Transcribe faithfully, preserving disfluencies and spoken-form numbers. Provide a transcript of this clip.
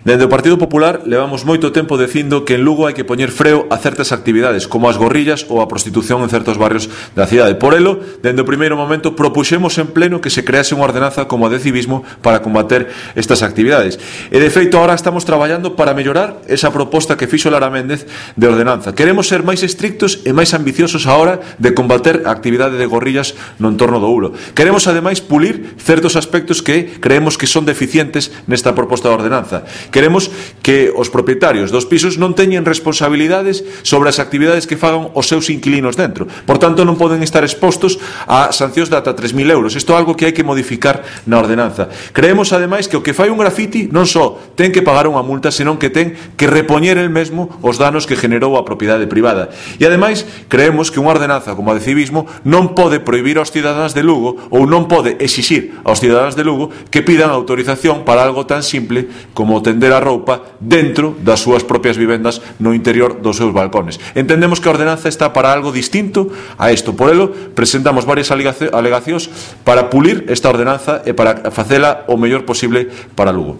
Dende o Partido Popular levamos moito tempo dicindo que en Lugo hai que poñer freo a certas actividades, como as gorrillas ou a prostitución en certos barrios da cidade. Por elo, dende o primeiro momento, propuxemos en pleno que se crease unha ordenanza como a de civismo para combater estas actividades. E, de feito, ahora estamos traballando para mellorar esa proposta que fixo Lara Méndez de ordenanza. Queremos ser máis estrictos e máis ambiciosos a hora de combater a actividade de gorrillas no entorno do Ulo. Queremos, ademais, pulir certos aspectos que creemos que son deficientes nesta proposta de ordenanza. Queremos que os propietarios dos pisos non teñen responsabilidades sobre as actividades que fagan os seus inquilinos dentro. Por tanto, non poden estar expostos a sancións de ata tres mil euros. Isto é algo que hai que modificar na ordenanza. Creemos, ademais, que o que fai un grafiti non só ten que pagar unha multa, senón que ten que repoñer el mesmo os danos que generou a propiedade privada. E, ademais, creemos que unha ordenanza como a de civismo non pode prohibir aos cidadáns de Lugo ou non pode exixir aos cidadáns de Lugo que pidan autorización para algo tan simple como tender a roupa dentro das súas propias vivendas no interior dos seus balcones. Entendemos que a ordenanza está para algo distinto a isto. Por elo, presentamos varias alegacións para pulir esta ordenanza e para facela o mellor posible para Lugo.